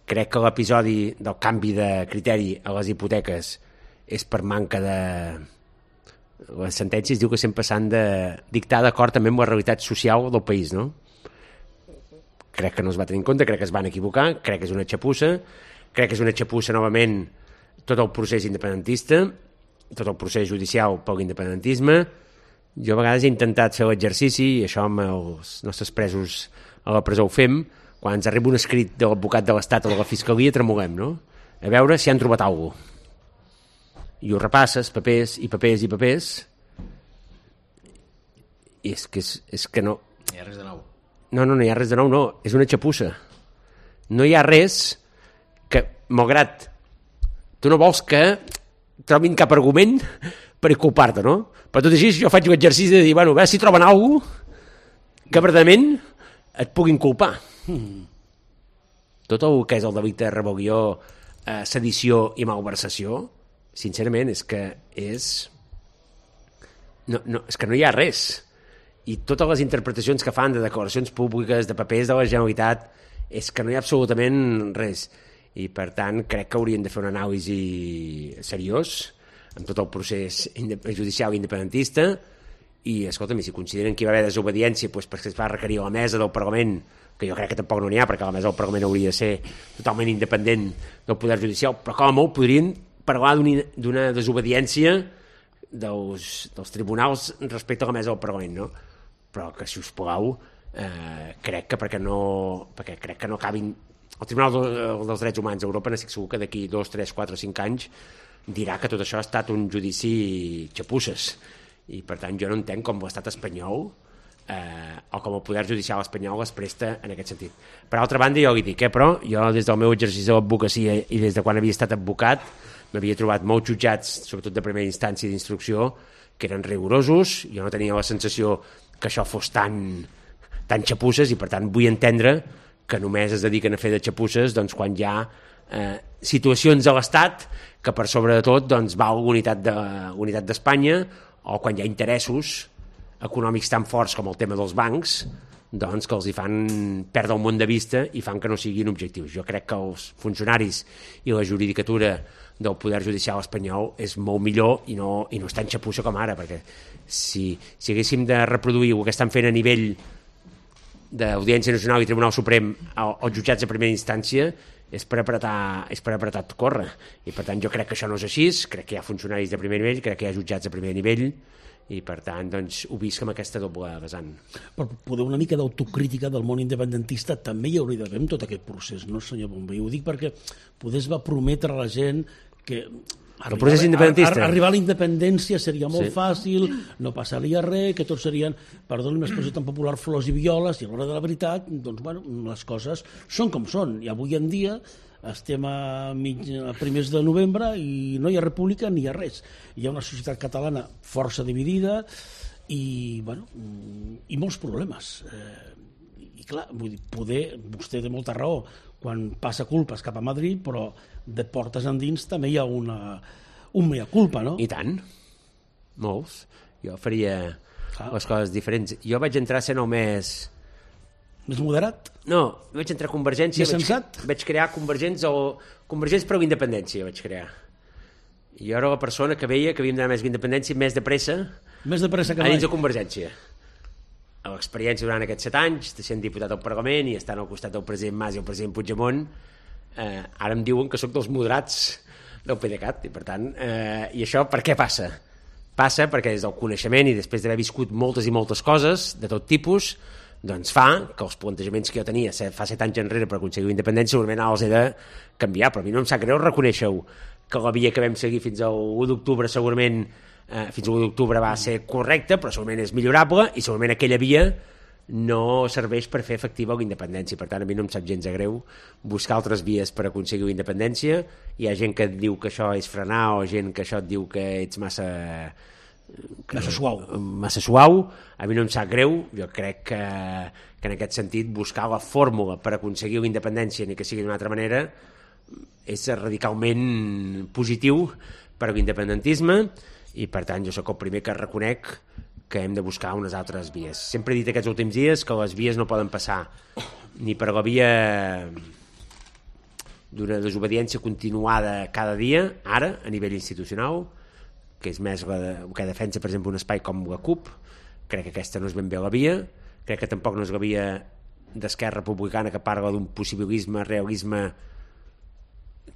Crec que l'episodi del canvi de criteri a les hipoteques és per manca de... Les sentències diu que sempre s'han de dictar d'acord també amb la realitat social del país, no? Crec que no es va tenir en compte, crec que es van equivocar, crec que és una xapussa, crec que és una xapussa novament tot el procés independentista, tot el procés judicial per l'independentisme. Jo a vegades he intentat fer l'exercici, i això amb els nostres presos a la presó ho fem, quan ens arriba un escrit de l'advocat de l'Estat o de la Fiscalia tremolem, no? A veure si han trobat alguna cosa. I ho repasses, papers i papers i papers, i és que, és, és que no... No hi ha res de nou. No, no, no hi ha res de nou, no, és una xapussa. No hi ha res que, malgrat tu no vols que trobin cap argument per culpar-te, no? Però tot així jo faig l'exercici de dir, bueno, a veure si troben alguna cosa que verdaderament et puguin culpar. Hmm. Tot el que és el delicte de rebel·lió, eh, sedició i malversació, sincerament, és que és... No, no, és que no hi ha res. I totes les interpretacions que fan de declaracions públiques, de papers de la Generalitat, és que no hi ha absolutament res. I, per tant, crec que haurien de fer una anàlisi seriós amb tot el procés judicial independentista i, escolta'm, si consideren que hi va haver desobediència doncs perquè es va requerir a la mesa del Parlament, que jo crec que tampoc no n'hi ha, perquè la mesa del Parlament hauria de ser totalment independent del poder judicial, però com a molt podrien parlar d'una desobediència dels, dels tribunals respecte a la mesa del Parlament, no? Però que, si us plau, eh, crec que perquè no, perquè crec que no acabin... El Tribunal de, dels Drets Humans d'Europa n'estic segur que d'aquí dos, tres, quatre, cinc anys dirà que tot això ha estat un judici xapusses. I, per tant, jo no entenc com l'estat espanyol eh, o com el poder judicial espanyol es presta en aquest sentit. Per altra banda, jo li dic, eh, però jo des del meu exercici de l'advocacia i des de quan havia estat advocat m'havia trobat molts jutjats, sobretot de primera instància d'instrucció, que eren rigorosos, jo no tenia la sensació que això fos tan, tan xapusses i, per tant, vull entendre que només es dediquen a fer de xapusses doncs, quan hi ha eh, situacions a l'Estat que per sobre de tot doncs, val l'unitat de, l'unitat d'Espanya o quan hi ha interessos econòmics tan forts com el tema dels bancs doncs, que els hi fan perdre el món de vista i fan que no siguin objectius. Jo crec que els funcionaris i la judicatura del poder judicial espanyol és molt millor i no, i no és tan xapussa com ara, perquè si, si haguéssim de reproduir el que estan fent a nivell d'Audiència Nacional i Tribunal Suprem als jutjats de primera instància és per apretar, és per apretar tot córrer, i per tant jo crec que això no és així, crec que hi ha funcionaris de primer nivell, crec que hi ha jutjats de primer nivell i per tant doncs, ho visc amb aquesta doble vessant. Per poder una mica d'autocrítica del món independentista també hi hauria d'haver en tot aquest procés, no, senyor Bombay? Ho dic perquè poder es va prometre a la gent que el procés independentista. Ar arribar a la independència seria molt sí. fàcil, no passaria res, que tots serien, perdoni l'expressió tan popular, flors i violes, i a l'hora de la veritat, doncs, bueno, les coses són com són. I avui en dia estem a, mig, a primers de novembre i no hi ha república ni hi ha res. Hi ha una societat catalana força dividida i, bueno, i molts problemes. Eh, I clar, vull dir, poder, vostè té molta raó, quan passa culpes cap a Madrid, però de portes endins també hi ha una, un mea culpa, no? I tant, molts. Jo faria ah. les coses diferents. Jo vaig entrar sent el més... Més moderat? No, vaig entrar a Convergència... Més sensat? Vaig, vaig crear Convergents o... Convergents per la independència vaig crear. Jo era la persona que veia que havíem d'anar més que independència més de pressa Més de pressa que a mai. dins de Convergència. A l'experiència durant aquests set anys, de sent diputat al Parlament i estant al costat del president Mas i el president Puigdemont, eh, ara em diuen que sóc dels moderats del PDeCAT, i per tant, eh, i això per què passa? Passa perquè des del coneixement i després d'haver viscut moltes i moltes coses de tot tipus, doncs fa que els plantejaments que jo tenia fa set anys enrere per aconseguir la independència segurament ara els he de canviar, però a mi no em sap greu reconèixer-ho, que la via que vam seguir fins al u d'octubre segurament eh, fins al u d'octubre va ser correcta, però segurament és millorable i segurament aquella via no serveix per fer efectiva la independència. Per tant, a mi no em sap gens de greu buscar altres vies per aconseguir la independència. Hi ha gent que et diu que això és frenar o gent que això et diu que ets massa que, massa suau. massa suau. A mi no em sap greu. Jo crec que, que en aquest sentit buscar la fórmula per aconseguir la independència, ni que sigui d'una altra manera, és radicalment positiu per a l'independentisme i per tant jo sóc el primer que reconec que hem de buscar unes altres vies. Sempre he dit aquests últims dies que les vies no poden passar ni per la via d'una desobediència continuada cada dia, ara, a nivell institucional, que és més la de, que defensa, per exemple, un espai com la CUP. Crec que aquesta no és ben bé la via, crec que tampoc no és la via d'Esquerra Republicana que parla d'un possibilisme, realisme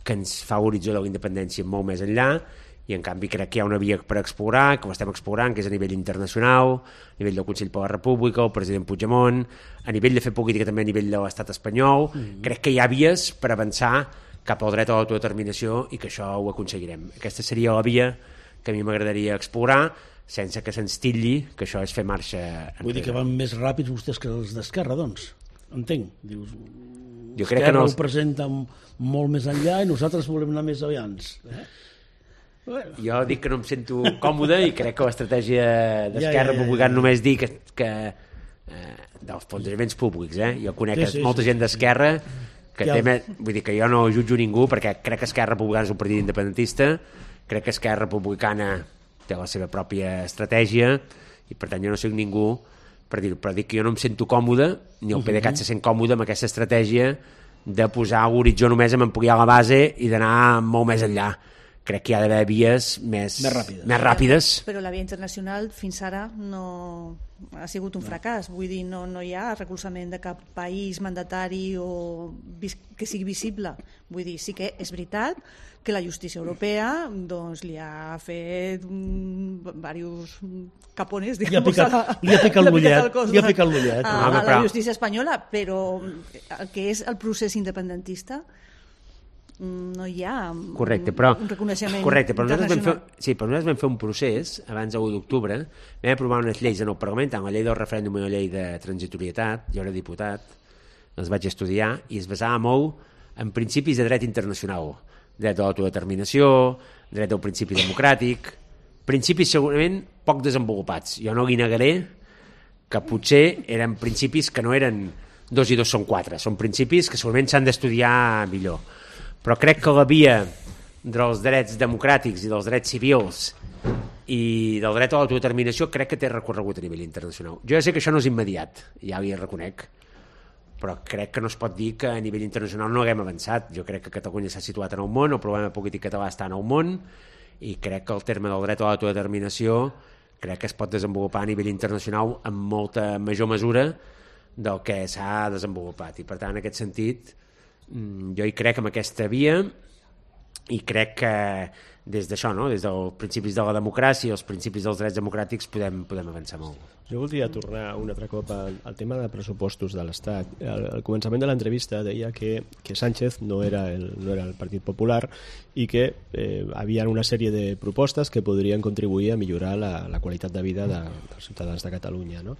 que ens fa l'horitzó de la independència molt més enllà, i en canvi crec que hi ha una via per explorar, que ho estem explorant, que és a nivell internacional, a nivell del Consell per la República, el president Puigdemont, a nivell de fer política també a nivell de l'estat espanyol. Mm-hmm. Crec que hi ha vies per avançar cap al dret a l'autodeterminació i que això ho aconseguirem. Aquesta seria la via que a mi m'agradaria explorar, sense que se'ns titlli que això és fer marxa enrere. Vull dir que van més ràpids vostès que els d'Esquerra, doncs. Entenc. Dius, jo crec que no els... ho presenta molt més enllà i nosaltres volem anar més avians. Eh? Bueno. Jo dic que no em sento còmode i crec que l'estratègia d'Esquerra ja, ja, ja, Republicana ja. només dir que, que eh, dels plantejaments públics, eh? Jo conec sí, sí, molta sí, gent d'Esquerra que ja. té més, vull dir que jo no jutjo ningú perquè crec que Esquerra Republicana és un partit independentista, crec que Esquerra Republicana té la seva pròpia estratègia i per tant jo no soc ningú per dir-ho, però dic que jo no em sento còmode ni el PDeCAT uh-huh. se sent còmode amb aquesta estratègia de posar l'horitzó només en ampliar la base i d'anar molt més enllà. Crec que hi ha d'haver vies més, més ràpides. Més ràpides. Però la via internacional fins ara no ha sigut un fracàs. Vull dir, no, no hi ha recolzament de cap país mandatari o que sigui visible. Vull dir, sí que és veritat que la justícia europea doncs, li ha fet diversos capones, li ha picat, la, li ha picat l'ullet li ha picat l'ullet a, a la justícia espanyola, però el que és el procés independentista no hi ha correcte, però, un reconeixement correcte, però nosaltres, vam fer, sí, però nosaltres vam fer un procés abans de l'u d'octubre, vam aprovar unes lleis en el Parlament, la llei del referèndum i la llei de transitorietat, jo era diputat, les vaig estudiar i es basava molt en principis de dret internacional, dret de l'autodeterminació, dret del principi democràtic, principis segurament poc desenvolupats. Jo no li negaré que potser eren principis que no eren dos i dos són quatre, són principis que segurament s'han d'estudiar millor. Però crec que la via dels drets democràtics i dels drets civils i del dret a l'autodeterminació crec que té recorregut a nivell internacional. Jo ja sé que això no és immediat, ja li reconec, però crec que no es pot dir que a nivell internacional no haguem avançat. Jo crec que Catalunya s'ha situat en el món, el problema polític català està en el món, i crec que el terme del dret a l'autodeterminació crec que es pot desenvolupar a nivell internacional amb molta major mesura del que s'ha desenvolupat. I per tant, en aquest sentit, jo hi crec en aquesta via i crec que des d'això, no? Des dels principis de la democràcia i els principis dels drets democràtics podem, podem avançar molt. Jo voldria tornar un altre cop al, al tema de pressupostos de l'Estat. Al, al començament de l'entrevista deia que, que Sánchez no era, el, no era el Partit Popular i que eh, havia una sèrie de propostes que podrien contribuir a millorar la, la qualitat de vida de, dels ciutadans de Catalunya, no?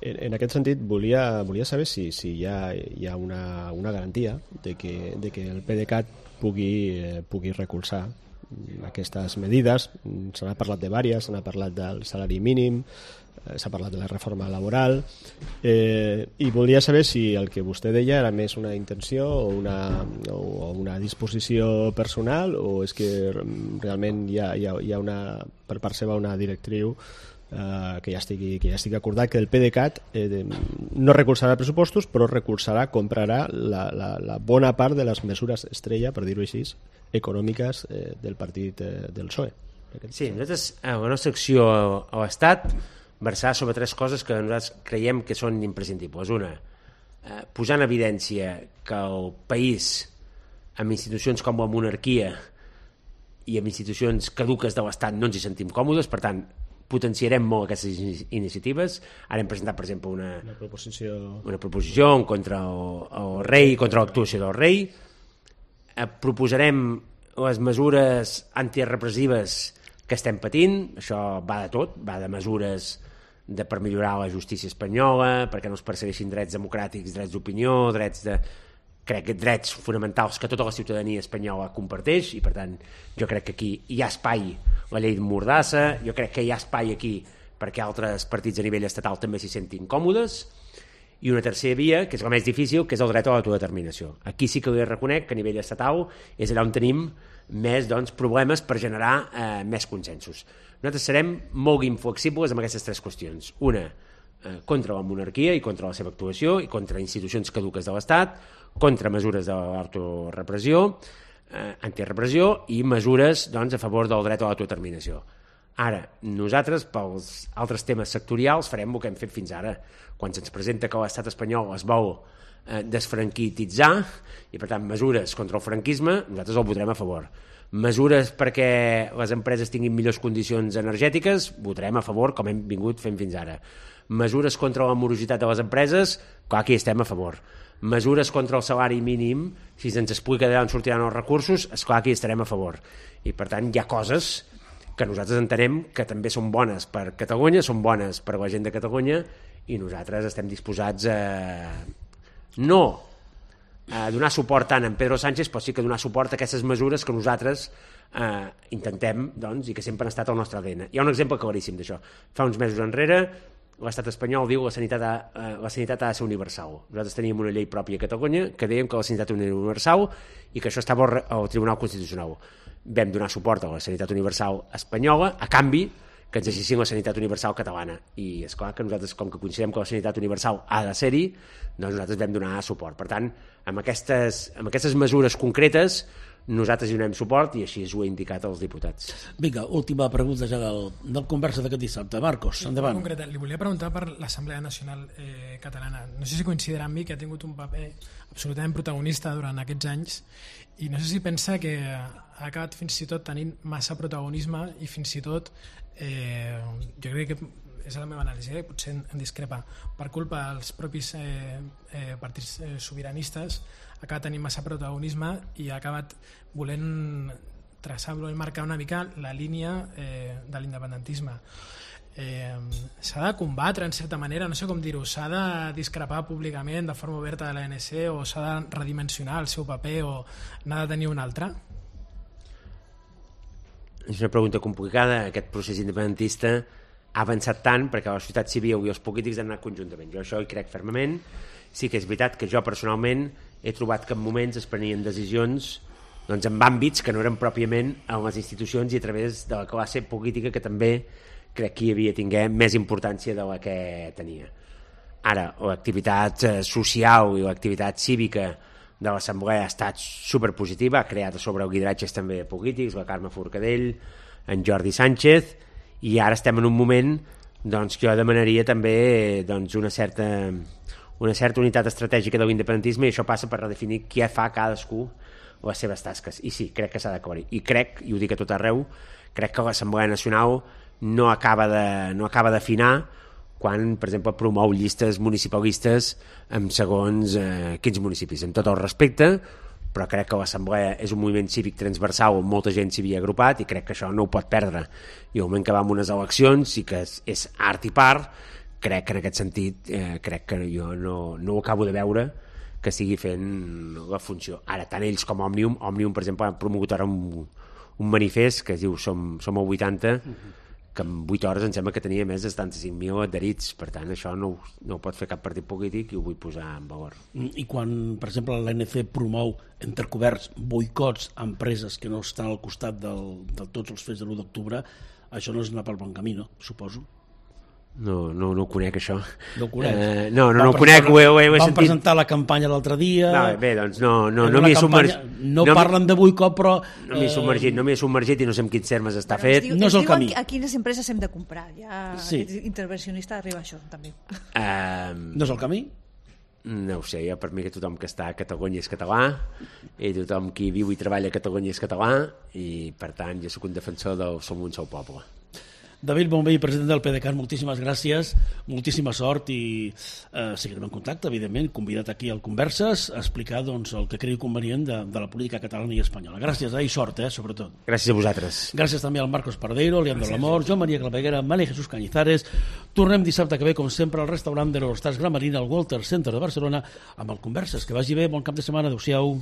En, en aquest sentit, volia, volia saber si, si hi ha, hi ha una, una garantia de que, de que el PDeCAT pugui, eh, pugui recolzar aquestes medides. Se n'ha parlat de diverses, se n'ha parlat del salari mínim, s'ha parlat de la reforma laboral, eh, i volia saber si el que vostè deia era més una intenció o una, o una disposició personal, o és que realment hi ha, hi ha, hi ha una, per part seva una directriu eh, que, ja estigui, que ja estigui acordat, que el PDeCAT eh, no recolzarà pressupostos, però recolzarà, comprarà la, la, la bona part de les mesures estrella, per dir-ho així, econòmiques eh, del partit eh, del P S O E. Sí, nosaltres, a la nostra acció a l'Estat, versar sobre tres coses que nosaltres creiem que són imprescindibles. Una, eh, posar en evidència que el país, amb institucions com la monarquia i amb institucions caduques de l'Estat, no ens hi sentim còmodes, per tant, potenciarem molt aquestes iniciatives. Ara hem presentat, per exemple, una, una proposició, una proposició en contra el, el rei, contra l'actuació del rei. Eh, proposarem les mesures antirepressives que estem patint. Això va de tot, va de mesures de, per millorar la justícia espanyola, perquè no es persegueixin drets democràtics, drets d'opinió, drets de... crec que drets fonamentals que tota la ciutadania espanyola comparteix, i per tant jo crec que aquí hi ha espai, la llei de Mordassa, jo crec que hi ha espai aquí perquè altres partits a nivell estatal també s'hi sentin còmodes, i una tercera via, que és la més difícil, que és el dret a l'autodeterminació. Aquí sí que li reconec que a nivell estatal és allà on tenim més doncs, problemes per generar eh, més consensos. Nosaltres serem molt inflexibles amb aquestes tres qüestions. Una, eh, contra la monarquia i contra la seva actuació, i contra institucions caduques de l'Estat, contra mesures de l'autorepressió, eh, antirepressió, i mesures doncs, a favor del dret a l'autodeterminació. Ara, nosaltres, pels altres temes sectorials, farem el que hem fet fins ara. Quan se'ns presenta que l'estat espanyol es vol eh, desfranquititzar, i per tant mesures contra el franquisme, nosaltres el votarem a favor. Mesures perquè les empreses tinguin millors condicions energètiques, votarem a favor, com hem vingut fent fins ara. Mesures contra la morositat de les empreses, clar que hi estem a favor. Mesures contra el salari mínim, si se'ns explica d'on sortiran els recursos, esclar que hi estarem a favor. I per tant hi ha coses que nosaltres entenem que també són bones per Catalunya, són bones per la gent de Catalunya, i nosaltres estem disposats a no a donar suport tant a Pedro Sánchez, però sí que donar suport a aquestes mesures que nosaltres eh, intentem, doncs, i que sempre han estat al nostre A D N. Hi ha un exemple claríssim d'això. Fa uns mesos enrere l'estat espanyol diu que la sanitat, ha, eh, la sanitat ha de ser universal. Nosaltres teníem una llei pròpia a Catalunya que dèiem que la sanitat era universal i que això estava al Tribunal Constitucional. Vam donar suport a la sanitat universal espanyola a canvi que ens exigien la sanitat universal catalana. I és clar que nosaltres, com que considerem que la sanitat universal ha de ser-hi, doncs nosaltres vam donar suport. Per tant, amb aquestes, amb aquestes mesures concretes nosaltres hi donem suport, i així ho he indicat als diputats. Vinga, última pregunta ja del, del conversa d'aquest dissabte. Marcos, endavant. En concret, li volia preguntar per l'Assemblea Nacional eh, Catalana. No sé si coincidirà amb mi que ha tingut un paper absolutament protagonista durant aquests anys, i no sé si pensa que ha acabat fins i tot tenint massa protagonisme, i fins i tot eh, jo crec que és la meva anàlisi, eh? Potser en discrepa, per culpa dels propis eh, eh, partits eh, sobiranistes, ha acabat tenint massa protagonisme i ha acabat volent traçar, volent marcar una mica la línia eh, de l'independentisme. Eh, s'ha de combatre en certa manera, no sé com dir-ho, s'ha de discrepar públicament de forma oberta de l'A N C, o s'ha de redimensionar el seu paper, o n'ha de tenir un altre? És una pregunta complicada. Aquest procés independentista ha avançat tant perquè la societat civil i els polítics han anat conjuntament. Jo això hi crec fermament. Sí que és veritat que jo personalment he trobat que en moments es prenien decisions doncs, en àmbits que no eren pròpiament en les institucions i a través de la classe política, que també crec que hi havia tingut més importància de la que tenia. Ara, l'activitat social i l'activitat cívica de l'Assemblea ha estat superpositiva, ha creat sobre el lideratges també polítics, la Carme Forcadell, en Jordi Sánchez, i ara estem en un moment doncs, que jo demanaria també doncs, una certa una certa unitat estratègica de l'independentisme, i això passa per redefinir què fa cadascú les seves tasques. I sí, crec que s'ha d'acabar-hi. I crec, i ho dic a tot arreu, crec que l'Assemblea Nacional no acaba de, no acaba d'afinar quan, per exemple, promou llistes municipalistes en segons eh, quins municipis. Amb tot el respecte, però crec que l'Assemblea és un moviment cívic transversal on molta gent s'hi havia agrupat, i crec que això no ho pot perdre. I al moment que va amb unes eleccions, i que és, és art i part, crec que en aquest sentit eh, crec que jo no, no ho acabo de veure que sigui fent la funció. Ara, tant ells com Òmnium, Òmnium, per exemple, han promogut ara un, un manifest que es diu Som, som el vuitanta, que en vuit hores em sembla que tenia més de setanta-cinc mil adherits. Per tant, això no, no ho pot fer cap partit polític, i ho vull posar en valor. I quan, per exemple, l'A N C promou entrecoberts boicots a empreses que no estan al costat del, de tots els fets de l'u d'octubre, això no és anar pel bon camí, no? Suposo. No, no, no ho conec, això. No ho conec? Eh, no, no, no ho conec, ho he, ho he Van sentit. presentar la campanya l'altre dia... No, bé, doncs no, no, Era no una m'hi he campanya- submergit. No, parlen de boicot, però... No m'hi he submergit, no m'hi he submergit i no sé amb quins termes està Però fet. ens diu- No és ens el diuen camí. A quines empreses hem de comprar. Ja Sí. aquest intervencionista arriba a això, també. Eh, No és el camí? no ho sé, jo per mi que tothom que està a Catalunya és català i tothom qui viu i treballa a Catalunya és català i per tant jo sóc un defensor del som un sol poble. David Bonvell, president del PDeCAT, moltíssimes gràcies, moltíssima sort i eh, seguirem en contacte, evidentment, convidat aquí al Converses a explicar doncs, el que cregui convenient de, de la política catalana i espanyola. Gràcies, eh, i sort, eh, sobretot. Gràcies a vosaltres. Gràcies també al Marcos Pardeiro, Leandro Lamor, Joan Maria Claveguera, Mali Jesús Cañizares. Tornem dissabte que ve, com sempre, al restaurant de l'Eurostars Gramarina, al Walter Center de Barcelona, amb el Converses. Que vagi bé, bon cap de setmana, adeu-siau.